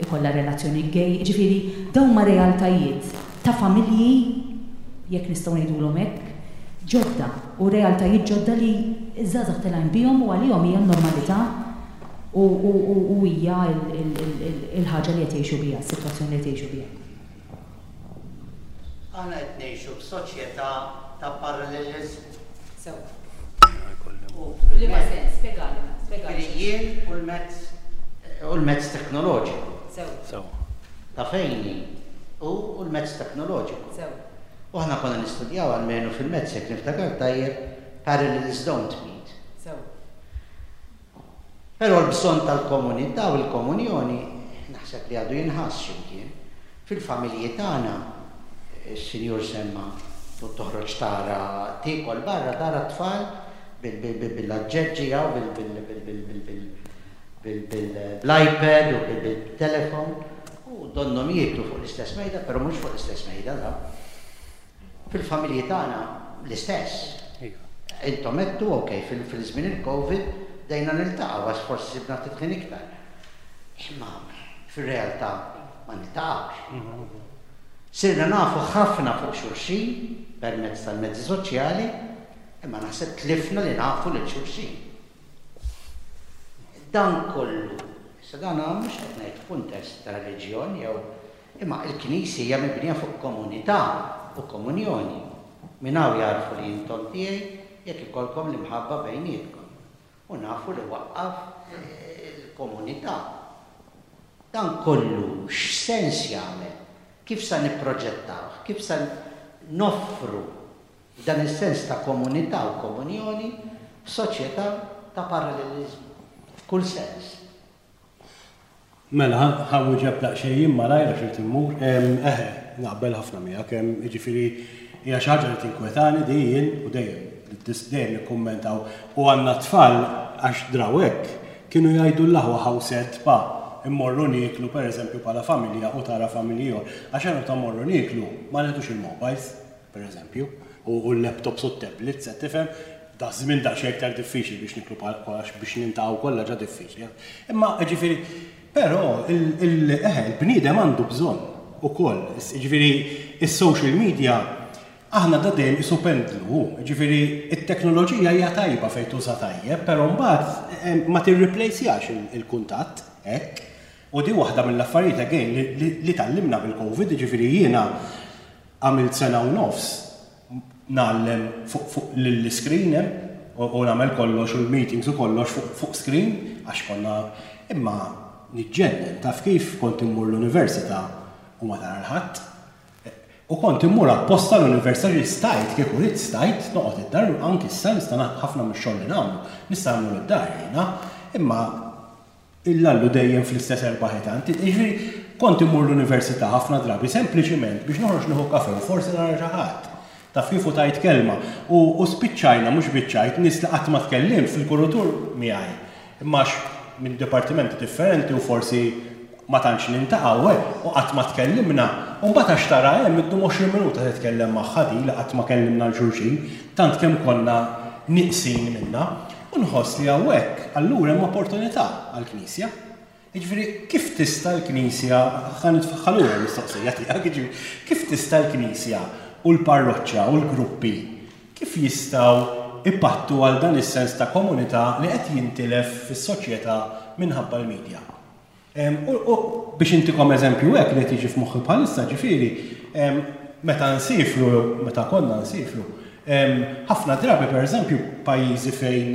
jkollha relazzjoni gay. Jiġifieri dawn huma realtajiet ta' familji, jekk nistgħu ngħidulhom hekk, ġodda u realtajiet ġodda li ż-żgħażagħ telgħin bihom u għalihom hija n-normalità u u hija l-ħaġa li qed jgħixu biha, is-sitwazzjoni li qed jgħixu biha. Aħna qed ngħixu f'soċjetà ta' paralleliżmu. Sewwa. F'liema sens? Spjegali, spjegali. Jiġifieri jien u l-mezz u l-mezz teknoloġiku. Sewwa. Sewwa. Ta' fejn hi u l-mezz teknoloġiku. Sewwa. U aħna konna nistudjaw almenu fil-mezz jekk niftakar tajjeb parallels don't meet. Sewwa. Però l-bżonn tal-komunità u l-komunjoni naħseb li għadu jinħass xi mkien. Fil-familji tagħna, is-Sinjur semma toħroġ tara tiekol barra tara t-tfal bil-aġġeġġi hawn bl-iPad u bil-telefon u donnhom jieklu fuq l-istess mejda, però mhux fuq l-istess mejda dawn. Fil-familji tagħna l-istess. Intom għedtu, ok, fil-żmien il-Covid bdejna niltaqgħu għax forsi sibna ftit ħin iktar. Imma fir-realtà ma niltaqgħux. Sirna nafu ħafna fuq xulxin permezz tal-mezzi soċjali, imma naħseb tlifna li nafu lil xulxin. Dan kollu, issa dan mhux qed ngħid f'kuntest ta' reliġjon jew Imma il-Knisja hija mibnija fuq komunità u komunjoni. Minn hawn jagħrfu li intom tiegħi jekk ikollkom l-imħabba bejnietkom. U nafu li waqqaf il-komunità. Dan kollu x'sens jagħmel? Kif sa nipproġettawh? Kif sa noffru dan is-sens ta' komunità u komunjoni f'soċjetà ta' paralleliżmu f'kull sens? Mela, ħa nwieġeb daqsxejn jien malajr għax irid immur. Eħe, naqbel ħafna miegħek. Jiġifieri hija xi ħaġa li tinkwetani di jien u dejjem dejjem nikkummentaw. U għandna t-tfal għax draw hekk, kienu jgħidu l-aħwa how sad pa, immorru nieklu pereżempju bħala familja u tara familji ieħor. Għax aħna meta mmorru nieklu ma nieħdux il-mobiles. per eżempju, u l-laptops u t-tablets, qed tifhem? Daż-żmien daqsxejn iktar diffiċli biex niklu għax biex niltaqgħu kollha ġa diffiċli. Imma jiġifieri, però eħe, il-bniedem għandu bżonn ukoll, jiġifieri is-social media aħna da dejjem qisu pendlu, hu, jiġifieri t-teknoloġija hija tajba fejn tuża tajjeb, però mbagħad ma tirriplejsjax il-kuntatt hekk. U di waħda mill-affarijiet again li tgħallimna bil-Covid, jiġifieri jiena Għamilt sena u nofs ngħallem fuq fuq l-iscreen hemm u nagħmel kollox u l-meetings u kollox fuq fuq screen għax konna imma niġġennen taf kif kont immur l-università u ma tara 'l ħadd. U kont immur apposta l-università ġifieri stajt kieku ridt stajt noqgħod id-dar anki issa nista' ħafna mix-xogħol li nagħmlu nista' nagħmlu mid-dar jiena imma Illallu dejjem fl-istess erba' ħitan. Jiġifieri, kont immur l-università ħafna drabi sempliċiment biex noħroġ nieħu kafè u forsi nara xi ħadd. Taf kif u tgħid kelma. U u spiċċajna, mhux biċċajt, nies li qatt ma tkellimt fil-kurutur miegħi. Imma għax minn dipartimenti differenti u forsi ma tantx niltaqgħu, eh, u qatt ma tkellimna. U mbagħad għax tara hemm iddum 20 minuta titkellem magħha di li qatt ma kellimna 'l xulxin, tant kemm konna nieqsin minnha. U nħoss li hawnhekk allura hemm opportunità għall-Knisja. Jiġifieri kif tista' l-Knisja, ħa nitfaħħa lura l-mistoqsija tiegħek, jiġifieri kif tista' l-Knisja u l-parroċċa u l-gruppi kif jistgħu jpattu għal dan is-sens ta' komunità li qed jintilef fis-soċjetà minħabba l-media? U biex intikom eżempju hekk li qed jiġi f'moħħi bħalissa, ġifieri, meta nsiefru jew meta konna nsiefru, ħafna drabi pereżempju pajjiżi fejn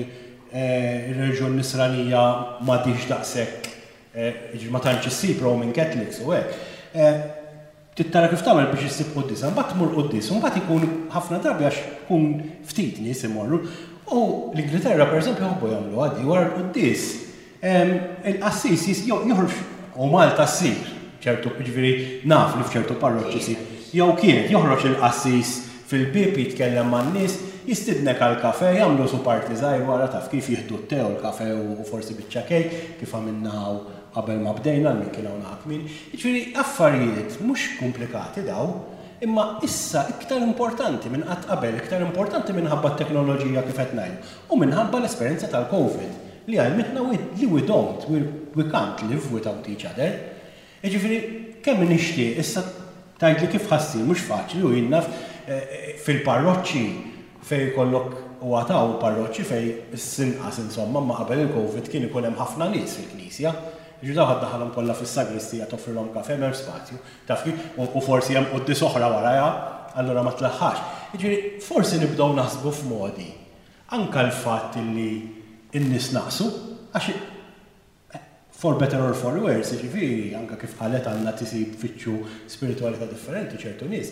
ir-reliġjon Nisranija m'għadhiex daqshekk, jiġifieri ma tantx issib Roman Catholics u hekk, Trid tara kif tagħmel biex issib quddiesa, mbagħad tmur quddies u mbagħad ikun ħafna drabi għax ikun ftit nies imorru. U l-Ingilterra pereżempju jħobbu jagħmluha di wara l-quddies. Il-qassis joħroġ u Malta ssir ċertu, jiġifieri naf li f'ċertu parroċċi ssir. Jew kienet joħroġ il-qassis fil-bieb jitkellem man-nies, jistidnek għal kafè, jagħmlu su party żgħir wara taf kif jieħdu t-te u l-kafè u forsi biċċa kejk kif għamilna hawn qabel ma bdejna għal min kien hawn naħa kmieni. Jiġifieri affarijiet mhux komplikati dawn, imma issa iktar importanti minn qatt qabel, iktar importanti minħabba t-teknoloġija kif qed ngħidu u minħabba l-esperjenza tal-Covid li għallmitna li we don't, we can't live without each other. Jiġifieri kemm nixtieq issa tgħidli kif ħa ssir mhux faċli u jien naf fil-parroċċi fejn ikollok u għad hawn parroċċi fejn issa inqas insomma imma qabel il-Covid kien ikun hemm ħafna nies fil-knisja. Jiġifieri dawn ħa ddaħħalhom kollha fis-sagristija toffrilhom kafè m'hemmx spazju. Taf kif? U forsi hemm quddies oħra warajha, allura ma tlaħħaqx. Jiġifieri forsi nibdew naħsbu f'modi. Anke l-fatt illi n-nies naqsu għax For better or for worse, jiġifieri, anke kif qalet Anna tisib tfittxu spiritwalità differenti ċertu nies,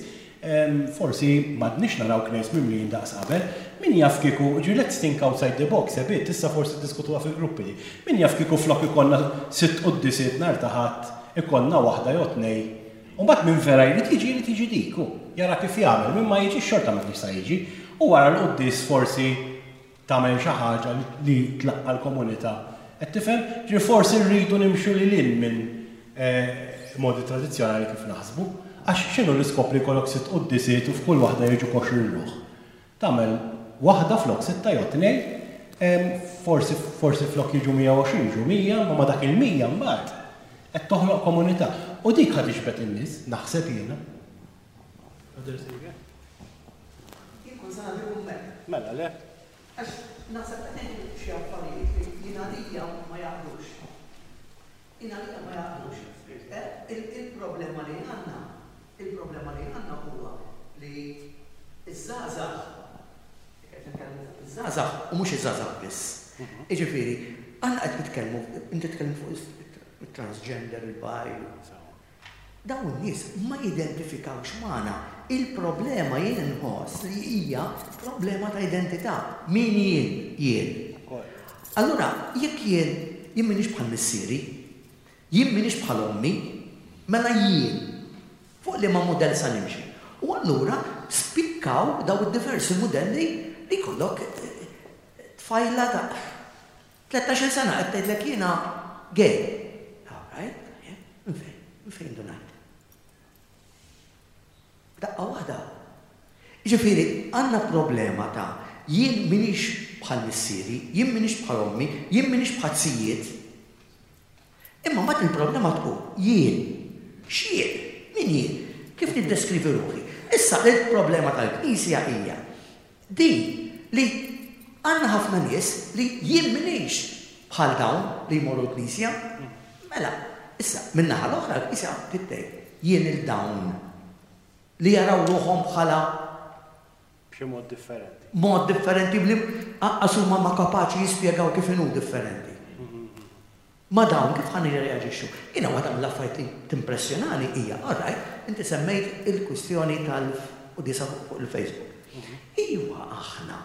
forsi m'għadniex naraw knejjes mimlijin daqs qabel. Min jaf kieku, jiġifieri let's think outside the box a bit, issa forsi ddiskutuha fil-gruppi di. Min jaf kieku flok ikollna sitt quddisiet nhar ta' Ħadd ikollna waħda jew tnejn. U mbagħad min vera jrid jiġi jrid jiġi dik hu. Jara kif jagħmel, min ma jiġix xorta ma kienx sa jiġi. U wara l-quddies forsi tagħmel xi ħaġa li tlaqqa' l-komunità. Qed tifhem? Ġifieri forsi rridu nimxu lil hinn minn modi tradizzjonali kif naħsbu. Għax x'inhu l-iskop li jkollok sitt quddisiet u f'kull waħda jiġu 20 ruħ? Tagħmel waħda flok sitta jew tnejn, forsi forsi flok jiġu 120 jiġu 100, imma ma' dak il-100 mbagħad qed toħloq komunità. U dik ħa tiġbed in-nies, naħseb jiena. Jien kont se nagħti kumment. Mela le. Għax naħseb qed ngħidu xi affarijiet li jien għalija ma jaqblux. Jien għalija ma jaqblux. Il-problema li għandna, il-problema li għandna huwa li ż-żgħażagħ, qed nitkellmu fuq iż-żgħażagħ u mhux iż-żgħażagħ biss. Jiġifieri, aħna qed nitkellmu, inti tkellimt fuq it-transgender, il-bi, Dawn in-nies ma jidentifikawx magħna. Il-problema jien inħoss li hija problema ta' identità. Min jien jien? Allura jekk jien, jien m'iniex bħal missieri, jien m'iniex bħal ommi, mela jien fuq liema mudell sa nimxi? U allura spikkaw dawn id-diversi mudelli li jkollok tfajla ta' Tlettax-il sena qed tgħidlek jiena gay. All right, tajjeb, minn fejn? Minn fejn indunajt? F'daqqa waħda. Jiġifieri għandna problema ta' jien m'iniex bħal missieri, jien m'iniex bħal ommi, jien m'iniex bħal zijiet. Imma mbagħad il-problema tkun jien. X'jien? Min jien? Kif niddeskrivi ruħi? Issa il-problema tal-Knisja hija Din li għandna ħafna nies li jien m'iniex bħal dawn li jmorru l-knisja. Mela, issa, min-naħa l-oħra l-knisja trid tgħid, jien 'il dawn li jaraw ruħhom bħala B'xi mod differenti. Mod differenti li anqas huma ma kapaċi jispjegaw kif inhu differenti. Ma' dawn kif ħa nirreaġixxu? Jiena waħda mill-affarijiet li timpressjonani hija, all right, inti semmejt il-kwistjoni tal-quddiesa fuq il-Facebook. Iva aħna,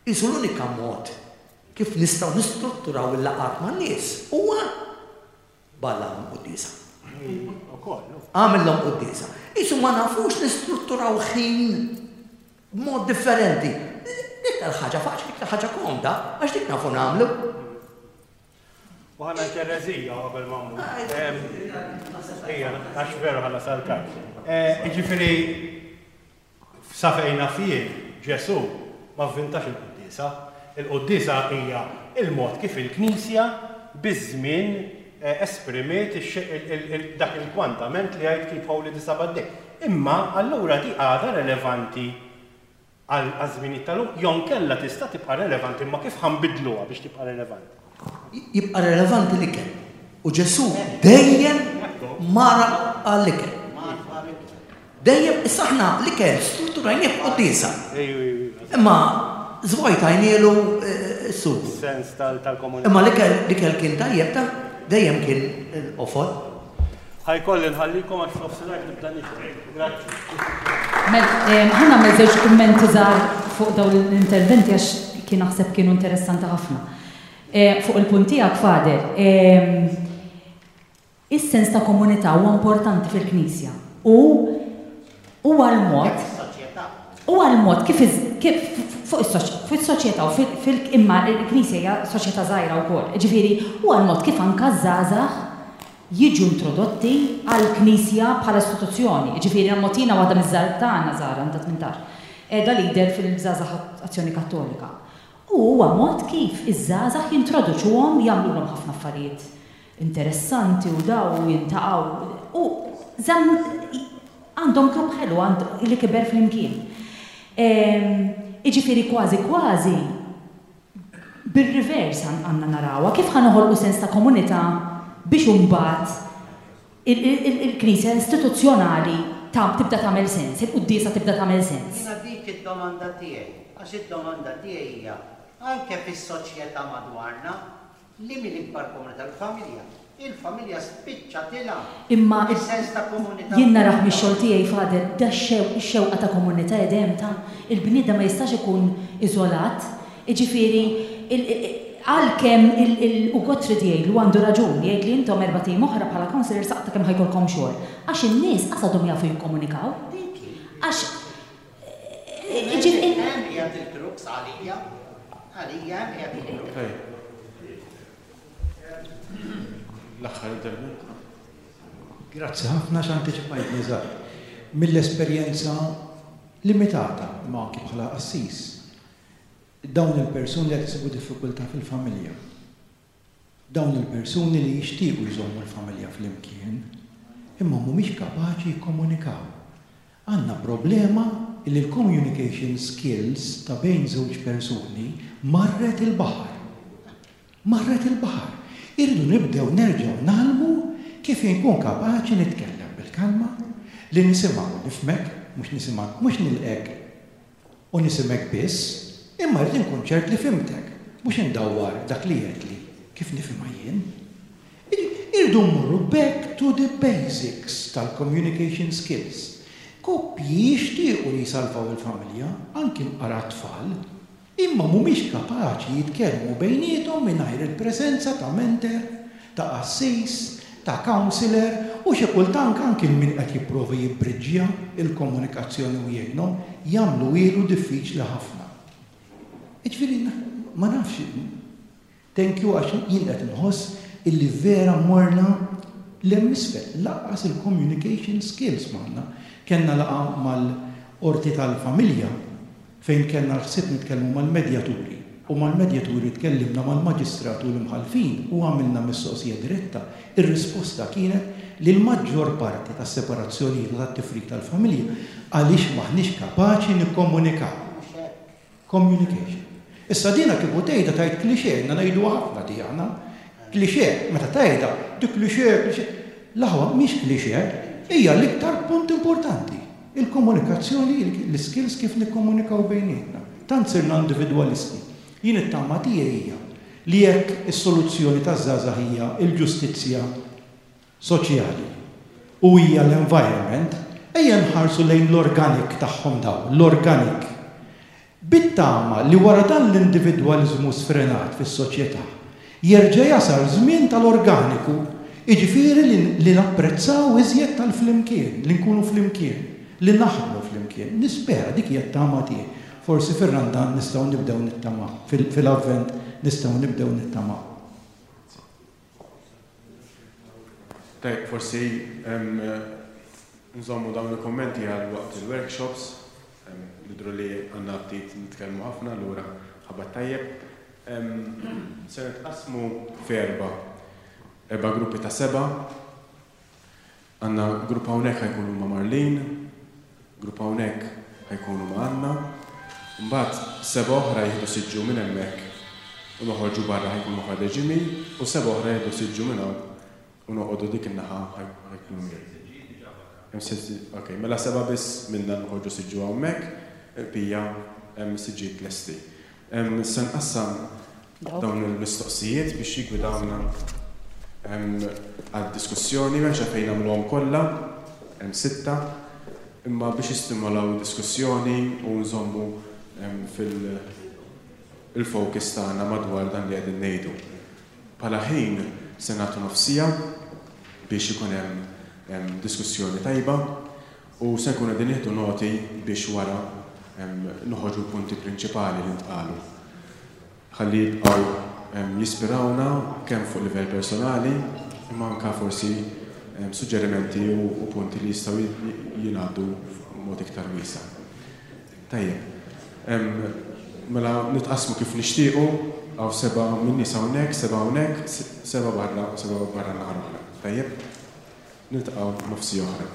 qisu l-unika mod kif nistgħu nistrutturaw il-laqgħat man-nies huwa b'għallahom quddiesa. Agħmillhom quddiesa. Qisu ma nafux nistrutturaw ħin b'mod differenti. L-iktar ħaġa faċli, l-iktar ħaġa komda, għax dik nafu nagħmlu. U ħa ngħid ereżija qabel ma mmur. Ejja, għax veru ħa nasal tard. Jiġifieri sa fejn naf jien, Ġesù ma vvintax il-quddiesa. Il-quddiesa hija l-mod kif il-Knisja biż-żmien esprimiet dak il-kwantament li jgħid keep holy the Sabbath day. Imma allura di għadha relevanti għaż-żminijiet tal-lum jew inkella tista' tibqa' relevanti imma kif ħa nbiddluha biex tibqa' relevanti? Jibqa' relevanti l-ikel. U Ġesù dejjem mar għall-ikel. Dejjem, issa aħna l-ikel strutturajnieh b'quddiesa. Imma żvojtajnielu s-sugu. Sens tal-komunità. Imma l-ikel kien tajjeb ta' dejjem kien il-qofol. Ħa jkolli nħallikom għax f'nofsinhar nibda nixtri. Grazzi. Mela, ħa nagħmel żewġ kummenti żgħar fuq dawn l-interventi għax kien. punti naħseb kienu interessanti ħafna. Fuq il-punt tiegħek, Father, is-sens ta' komunità huwa importanti fil-Knisja u huwa l-mod huwa l-mod kif kif fuq is-soċjetà u fil imma l-Knisja hija soċjetà żgħira wkoll. Jiġifieri huwa l-mod kif anke ż-żgħażagħ jiġu introdotti għall-Knisja bħala istituzzjoni. Jiġifieri l-mod jiena waħda miż-żgħar tagħna żgħar għandha 18, qiegħda leader fil-Żgħażagħ Azzjoni Kattolika. U huwa mod kif iż-żgħażagħ jintroduċuhom, jagħmlulhom ħafna affarijiet interessanti u daw u jintaqgħu u żamm għandhom grupp ħelu li kiber flimkien. Jiġifieri kważi kważi bir-reverse għandna narawha, kif ħa noħolqu sens ta' komunità biex imbagħad il-Knisja istituzzjonali tibda tagħmel sens, il-quddiesa tibda tagħmel sens. Jiena dik id-domanda tiegħi, għax id-domanda tiegħi hija anke fis-soċjetà madwarna, li hi l-ikbar komunità? Il-familja. Il-familja spiċċatilha Imma is-sens ta' komunità jien narah mix-xogħol tiegħi, Father, da x-xewqa ta' komunità qiegħda hemm ta' il-bniedem ma jistax ikun iżolat. Jiġifieri, għalkemm il u Gottfried jgħidlu għandu raġun, jgħidli intom erbat ijiem oħra bħala counsellors aqta' kemm ħa jkollkom xogħol. Għax in-nies qas għadhom jafu jikkomunikaw. Għax jiġifieri. Hemm qiegħed il-crux għalija. Għalija hemm qiegħed il-crux. L-aħħar intervent. Grazzi ħafna għax antiċipajtni eżatt. Mill-esperjenza limitata, imma anki bħala qassis, Dawn il-persuni li qed isibu diffikultà fil-familja. Dawn il-persuni li jixtiequ jżommu l-familja flimkien, imma mhumiex kapaċi jikkomunikaw. Għandna problema li l-communication skills ta' bejn żewġ persuni marret il-baħar. Marret il-baħar. Irridu nibdew nerġgħu ngħallmu kif inkun kapaċi nitkellem bil-kalma, li nisimgħu u nifhmek, mhux nisimgħek, mhux nilqgħek u nisimgħek biss, imma rrid inkun ċert li fhimtek, mhux indawwar dak li għedtli kif nifhimha jien. Irridu mmorru back to the basics tal-communication skills. Koppji jixtiequ li jsalvaw il-familja, anki mqar għat-tfal, Imma mhumiex kapaċi jitkellmu bejniethom mingħajr il-preżenza ta' mentor, ta' qassis, ta' counsellor u xi kultank anki min qed jipprova jibbriġġja l-komunikazzjoni u jgħinhom, jagħmluhielu diffiċli ħafna. Jiġifieri ma nafx, thank you għax jien qed inħoss illi vera morna 'l hemm isfel, lanqas il-communication skills m'għandna. Kellna laqgħa mal-Qorti tal-Familja fejn kellna l-ħsieb nitkellmu mal-medjaturi u mal-medjaturi tkellimna mal-maġistrat u l-imħallfin u għamilna mistoqsija diretta, ir-risposta kienet li l-maġġor parti tas-separazzjonijiet u tat-tifrik tal-familja għaliex m'aħniex kapaċi nikkomunikaw. Communication. Issa dina kieku tgħidha tgħid cliché, ilna ngħiduha ħafna di aħna. Cliché, meta tgħidha, di cliché, cliché. L-aħwa mhix cliché, hija l-iktar punt importanti. Il-komunikazzjoni, l-iskills kif nikkomunikaw bejnietna. Tant sirna individwalisti. Jien it-tama tiegħi hija li jekk is-soluzzjoni taż-żgħażagħ hija l-ġustizzja soċjali u hija l-environment, ejja nħarsu lejn l-organic tagħhom dawn, l-organic. Bit-tama li wara dan l-individwaliżmu sfrenat fis-soċjetà, jerġa' jasal żmien tal-organiku, jiġifieri li li napprezzaw iżjed tal-flimkien, li nkunu flimkien, li naħdmu flimkien. Nispera, dik hija t-tama tiegħi. Forsi fir-Randan nistgħu nibdew nittamaw, fil-Avvent nistgħu nibdew nittamaw. Tajjeb, forsi nżommu dawn il-kummenti għal waqt il-workshops. Nidhru li għandna ftit nitkellmu ħafna, allura ħabat tajjeb. Se nitqassmu f'erba' erba' gruppi ta' seba'. Għandna grupp hawnhekk ħa jkunu ma' Marlene, grupp hawnhekk ħa jkunu ma' Anna, imbagħad sebgħa oħra jieħdu siġġu minn hemmhekk u noħorġu barra ħa jkunu ma' Father Jimmy u sebgħa oħra jieħdu siġġu minn hawn u noqogħdu dik in-naħa ħa jkunu miegħi. Hemm sitt, ok, mela sebgħa biss minna noħorġu siġġu hawnhekk, il-bqija hemm is-siġġijiet lesti. Se nqassam dawn il-mistoqsijiet biex jiggwidawna għad-diskussjoni, m'hemmx għalfejn nagħmluhom kollha, hemm sitta, imma biex jistimolaw id-diskussjoni u nżommu fil. il-focus tagħna madwar dan li qegħdin ngħidu. Bħala ħin se nagħtu nofs siegħa biex ikun hemm diskussjoni tajba u se nkunu qegħdin nieħdu noti biex wara noħorġu l-punti prinċipali li ntqalu. Ħalli jibqgħu jispirawna kemm fuq livell personali imma anke forsi suġġerimenti u punti li jistgħu jingħaddu b'mod iktar wiesa'. Tajjeb. Mela nitqassmu kif nixtiequ, hawn sebgħa min-nies hawnhekk, sebgħa hawnhekk, sebgħa barra u sebgħa barra n-naħa l-oħra. Tajjeb? Niltaqgħu nofs siegħa oħra.